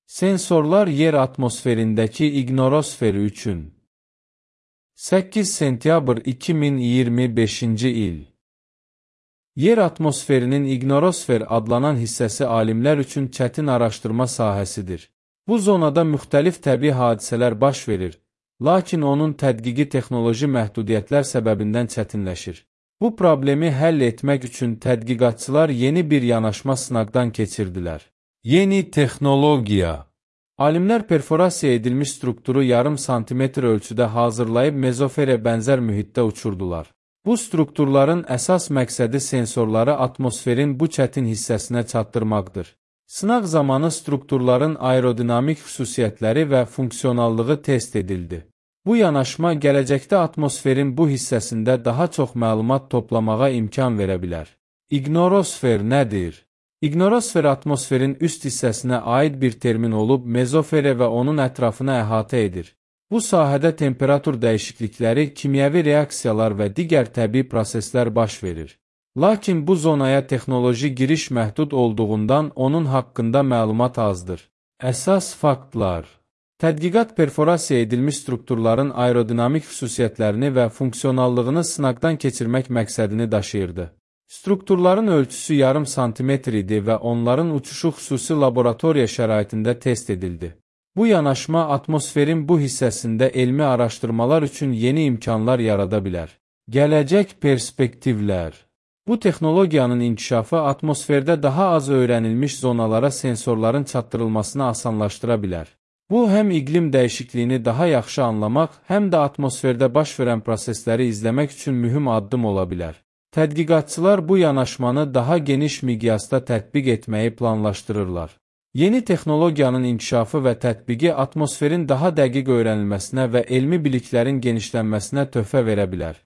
Sensorlar yer atmosferindəki ignorosferi üçün 8 sentyabr 2025-ci il. Yer atmosferinin ignorosfer adlanan hissəsi alimlər üçün çətin araşdırma sahəsidir. Bu zonada müxtəlif təbii hadisələr baş verir, lakin onun tədqiqi texnoloji məhdudiyyətlər səbəbindən çətinləşir. Bu problemi həll etmək üçün tədqiqatçılar yeni bir yanaşma sınaqdan keçirdilər. Yeni texnologiya. Alimlər perforasiya edilmiş strukturu yarım santimetr ölçüdə hazırlayıb mezofere bənzər mühitdə uçurdular. Bu strukturların əsas məqsədi sensorları atmosferin bu çətin hissəsinə çatdırmaqdır. Sınaq zamanı strukturların aerodinamik xüsusiyyətləri və funksionallığı test edildi. Bu yanaşma gələcəkdə atmosferin bu hissəsində daha çox məlumat toplamağa imkan verə bilər. İgnorosfer nədir? İgnorosfer atmosferin üst hissəsinə aid bir termin olub, mezofere və onun ətrafını əhatə edir. Bu sahədə temperatur dəyişiklikləri, kimyəvi reaksiyalar və digər təbii proseslər baş verir. Lakin bu zonaya texnoloji giriş məhdud olduğundan onun haqqında məlumat azdır. Əsas faktlar. Tədqiqat perforasiya edilmiş strukturların aerodinamik xüsusiyyətlərini və funksionallığını sınaqdan keçirmək məqsədini daşıyırdı. Strukturların ölçüsü yarım santimetr idi və onların uçuşu xüsusi laboratoriya şəraitində test edildi. Bu yanaşma atmosferin bu hissəsində elmi araşdırmalar üçün yeni imkanlar yarada bilər. Gələcək perspektivlər. Bu texnologiyanın inkişafı atmosferdə daha az öyrənilmiş zonalara sensorların çatdırılmasını asanlaşdıra bilər. Bu, həm iqlim dəyişikliyini daha yaxşı anlamaq, həm də atmosferdə baş verən prosesləri izləmək üçün mühüm addım ola bilər. Tədqiqatçılar bu yanaşmanı daha geniş miqyasda tətbiq etməyi planlaşdırırlar. Yeni texnologiyanın inkişafı və tətbiqi atmosferin daha dəqiq öyrənilməsinə və elmi biliklərin genişlənməsinə töhfə verə bilər.